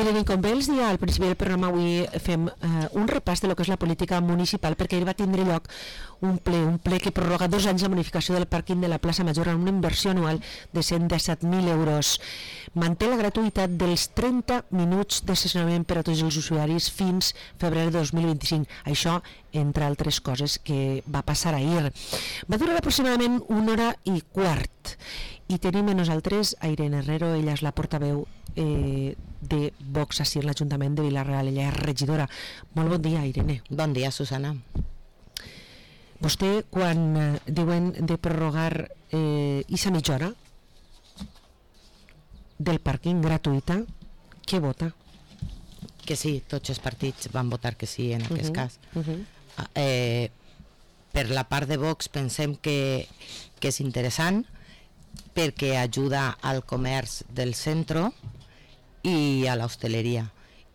Irene, com bé els dia al principi del programa, avui fem un repàs de lo que és la política municipal, perquè ahir va tindre lloc un ple que prorroga 2 anys la bonificació del pàrquing de la plaça Major amb una inversió anual de 117.000 euros. Manté la gratuïtat dels 30 minuts d'estacionament per a tots els usuaris fins febrer de 2025. Això, entre altres coses, que va passar ahir. Va durar aproximadament 1 hora i quart. I tenim a nosaltres a Irene Herrero, ella és la portaveu de Vox així en l'Ajuntament de Vila-real, ella és regidora. Molt bon dia, Irene. Bon dia, Susana. Vostè, quan diuen de prorrogar aquesta mitja hora del pàrquing gratuïta, què vota? Que sí, tots els partits van votar que sí en aquest cas. Per la part de Vox pensem que és interessant perquè ajuda al comerç del centre i a l'hostaleria,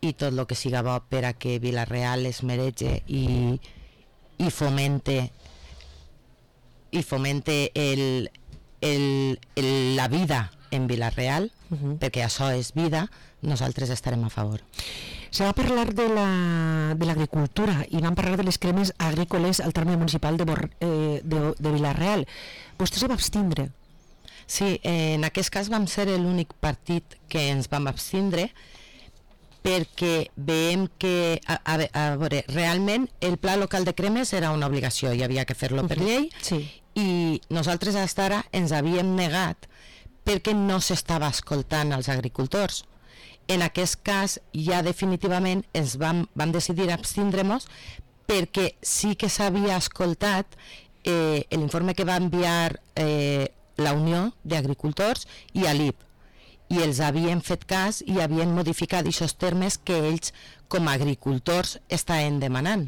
i tot el que siga bo per a que Vila-real es merege i fomente la vida en Vila-real, perquè això és vida, nosaltres estarem a favor. Se va parlar de l'agricultura i vam parlar de les cremes agrícoles al terme municipal de Vila-real. Vostè se va abstindre? Sí, en aquest cas vam ser l'únic partit que ens vam abstindre perquè veiem que, a veure, realment el pla local de cremes era una obligació i havia que fer-lo per llei, i nosaltres fins ara ens havíem negat perquè no s'estava escoltant els agricultors. En aquest cas ja definitivament ens vam decidir abstindre-nos perquè sí que s'havia escoltat l'informe que va enviar la Unió d'Agricultors i a l'IP, i els havien fet cas i havien modificat aquests termes que ells com a agricultors estaven demanant.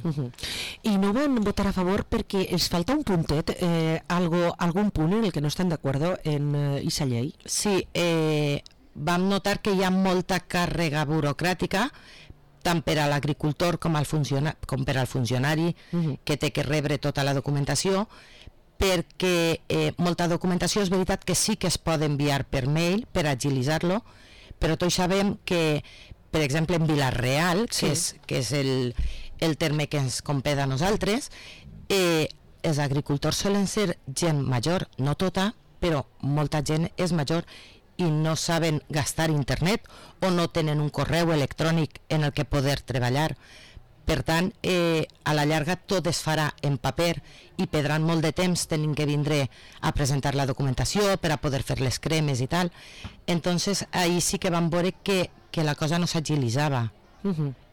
I no van votar a favor perquè els falta un puntet, algun punt en el que no estan d'acord en aquesta llei? Sí, vam notar que hi ha molta càrrega burocràtica tant per a l'agricultor com per al funcionari que té que rebre tota la documentació, perquè molta documentació és veritat que sí que es pot enviar per mail per agilitzar-lo, però tots sabem que, per exemple, en Vila-real, que és el terme que ens competa a nosaltres, els agricultors solen ser gent major, no tota, però molta gent és major i no saben gastar internet o no tenen un correu electrònic en el que poder treballar. Per tant, a la llarga tot es farà en paper i perdran molt de temps tenint que vindre a presentar la documentació per a poder fer les cremes i tal. Entonces, ahí sí que vam veure que la cosa no s'agilitzava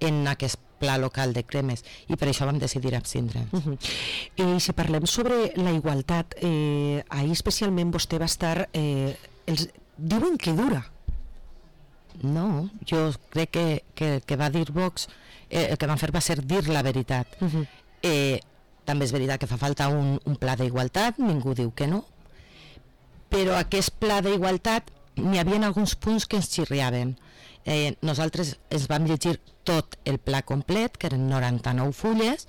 en aquest pla local de cremes, i per això vam decidir abstindre'ns. I si parlem sobre la igualtat, ahir especialment vostè va estar... diuen que dura. No, jo crec que va dir Vox, el que van fer va ser dir la veritat. També és veritat que fa falta un pla d'igualtat, ningú diu que no, però aquest pla d'igualtat n'hi havia alguns punts que ens xirriaven. Nosaltres ens vam llegir tot el pla complet, que eren 99 fulles,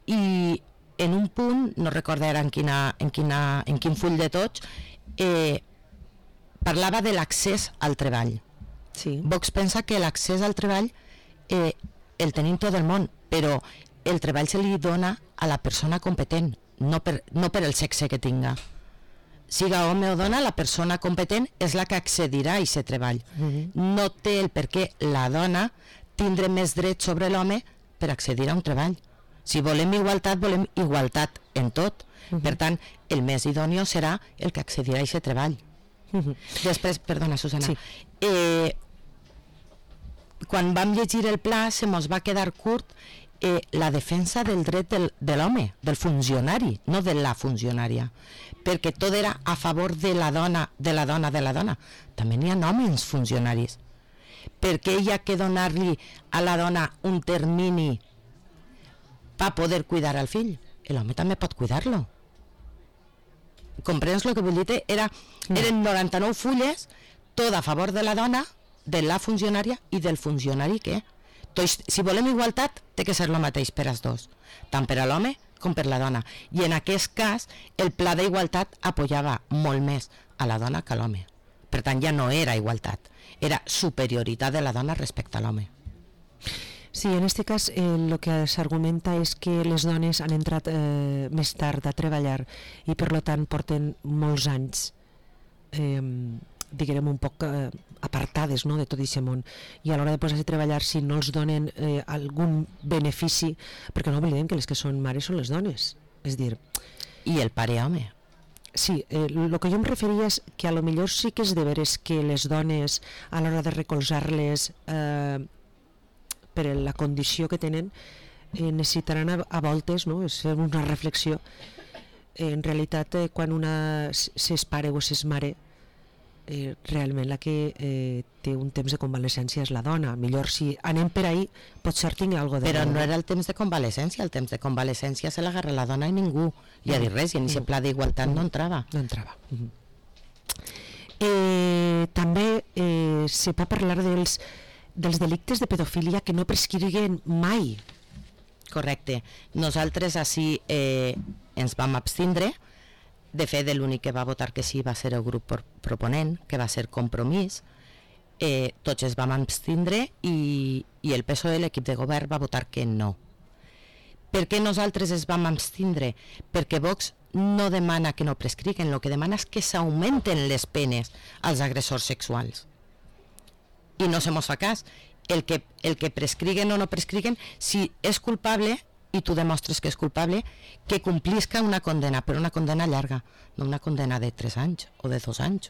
i en un punt, no recordo ara en quin full de tots, parlava de l'accés al treball. Vox pensa que l'accés al treball el tenim tot el món, però el treball se li dona a la persona competent, no per el sexe que tinga. Siga home o dona, la persona competent és la que accedirà a aquest treball. No té el per què la dona tindre més dret sobre l'home per accedir a un treball. Si volem igualtat en tot. Per tant, el més idòneo serà el que accedirà a aquest treball. Després, perdona, Susana, quan vam llegir el pla se mos va quedar curt la defensa del dret de l'home, del funcionari, no de la funcionària, perquè tot era a favor de la dona. També n'hi ha homes funcionaris. Per què hi ha que donar-li a la dona un termini per poder cuidar al fill? L'home també pot cuidar-lo. Comprens el que vull dir? Eren 99 fulles, tot a favor de la dona, de la funcionària i del funcionari que... Si volem igualtat, té que ser el mateix per als dos, tant per a l'home com per la dona. I en aquest cas, el pla d'igualtat apoyava molt més a la dona que a l'home, Per tant, ja no era igualtat, era superioritat de la dona respecte a l'home. Sí, en aquest cas el que s'argumenta és que les dones han entrat més tard a treballar i per tant porten molts anys diguem un poc apartades, no?, de tot aquest món, i a l'hora de posar-se a treballar, si no els donen algun benefici, perquè no oblidem que les que són mares són les dones, és dir... I el pare home. Sí, el que jo em referia és que a lo millor sí que és de veres que les dones a l'hora de recolzar-les per la condició que tenen necessitaran a voltes, no?, és fer una reflexió. En realitat, quan una s'és pare o s'és mare, realment la que té un temps de convalescència és la dona. Millor si anem per ahí, potser tingui alguna cosa de... Però no era el temps de convalescència, el temps de convalescència se l'agarra la dona i ningú li ha dit res, i en aquest pla d'igualtat no entrava. No entrava. També se pot parlar dels delictes de pedofilia que no prescriguen mai. Correcte. Nosaltres així ens vam abstindre. De fet, l'únic que va votar que sí va ser el grup proponent, que va ser Compromís. Tots es vam abstindre i el PSOE, l'equip de govern, va votar que no. Per què nosaltres es vam abstindre? Perquè Vox no demana que no prescriguen, el que demana és que s'augmenten les penes als agressors sexuals. I no se mos fa cas. El que prescriguen o no prescriguen, si és culpable i tu demostres que és culpable, que complisca una condena, però una condena llarga, no una condena de 3 anys o de 2 anys.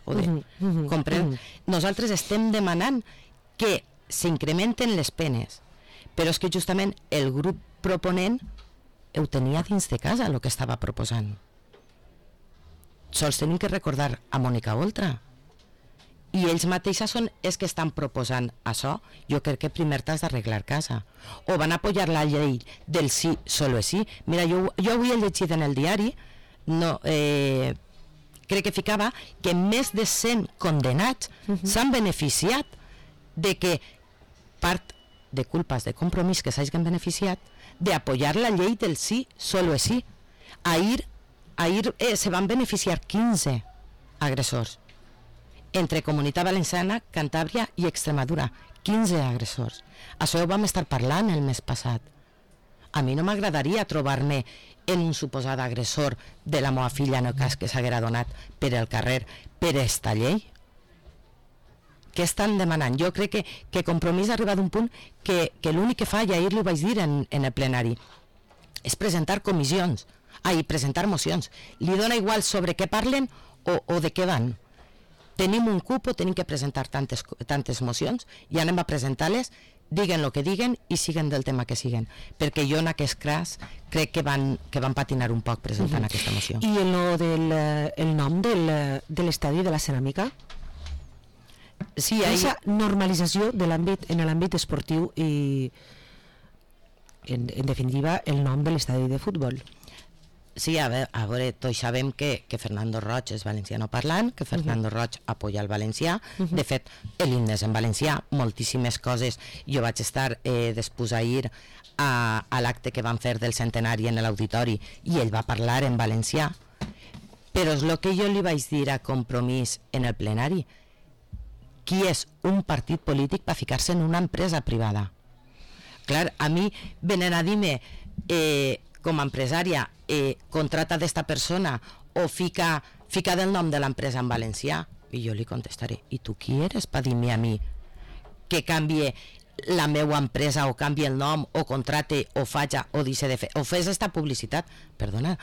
Comprèn? Nosaltres estem demanant que s'incrementen les penes, però és que justament el grup proponent ho tenia dins de casa, el que estava proposant. Sols tenim que recordar a Mònica Oltra, i ells mateixos són els que estan proposant això. Jo crec que primer t'has d'arreglar casa. O van apoyar la llei del sí, solo sí. Mira, jo avui he llegit en el diari, crec que ficava que més de 100 condenats s'han beneficiat de que part de culpes de Compromís que s'hagin beneficiat d'apoyar la llei del sí, solo sí. Ahir se van beneficiar 15 agressors. Entre Comunitat Valenciana, Cantàbria i Extremadura, 15 agressors. Això ho vam estar parlant el mes passat. A mi no m'agradaria trobar-me en un suposat agressor de la meva filla en el cas que s'haguera donat per el carrer per esta llei. Què estan demanant? Jo crec que Compromís ha arribat a un punt que l'únic que fa, i ahir li ho vaig dir en el plenari, és presentar comissions, presentar mocions. Li dona igual sobre què parlen o de què van. Tenim un cupo, tenim que presentar tantes mocions i anem a presentar-les, diguen el que diguen i siguen del tema que siguen, perquè jo en aquest cas crec que van patinar un poc presentant aquesta moció. I el nom de l'estadi de la ceràmica? Sí, aquesta normalització de en l'àmbit esportiu i en definitiva el nom de l'estadi de futbol. Sí, a veure, tots sabem que Fernando Roig és valenciano parlant, que Fernando Roig apoya el valencià. De fet, l'himne és en valencià, moltíssimes coses. Jo vaig estar després ahir a l'acte que van fer del centenari en l'auditori i ell va parlar en valencià. Però és el que jo li vaig dir a Compromís en el plenari. Qui és un partit polític per ficar-se en una empresa privada? Clar, a mi venen a dir-me com a empresària contrata d'esta persona o fica del nom de l'empresa en valencià, i jo li contestaré, i tu qui eres per dir-me a mi que canvie la meva empresa o canvie el nom o contrate o faja o deixi de fer o fes esta publicitat? Perdona,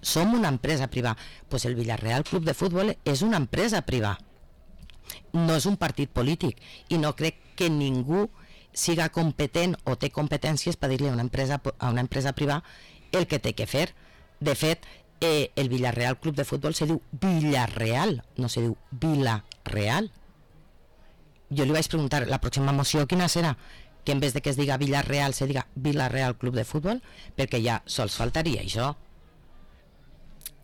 som una empresa privada. Pues el Villarreal Club de Futbol és una empresa privada, no és un partit polític, i no crec que ningú siga competent o té competències per dir-li a una empresa privada el que té que fer. De fet, el Villarreal Club de Futbol se diu Villarreal, no se diu Vila-real. Jo li vaig preguntar, la pròxima moció quina serà? Que en vez de que es diga Villarreal se diga Villarreal Club de Futbol, perquè ja sols faltaria això.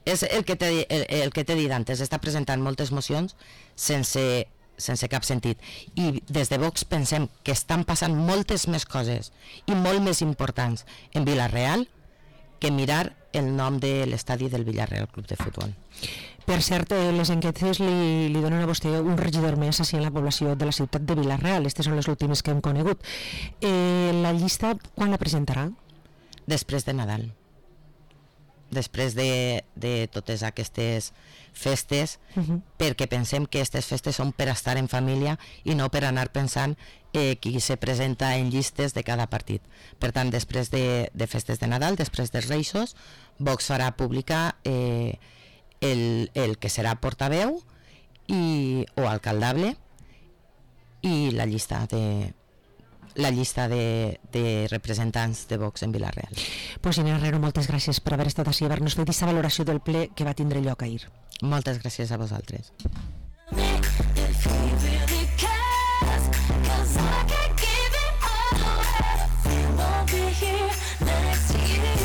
És el que t'he dit antes, està presentant moltes mocions sense cap sentit, i des de Vox pensem que estan passant moltes més coses i molt més importants en Vila-real que mirar el nom de l'estadi del Villarreal Club de Futbol. Per cert, les enquestes li donen a vostè un regidor més així en la població de la ciutat de Vila-real. Aquestes són les últimes que hem conegut. La llista, quan la presentarà? Després de Nadal. Després de totes aquestes festes, perquè pensem que aquestes festes són per estar en família i no per anar pensant qui se presenta en llistes de cada partit. Per tant, després de festes de Nadal, després dels Reixos, Vox farà pública el que serà portaveu o alcaldable i la llista de representants de Vox en Vila-real. Pues Inés Herrero, moltes gràcies per haver estat així i haver-nos fet aquesta valoració del ple que va tindre lloc ahir. Moltes gràcies a vosaltres.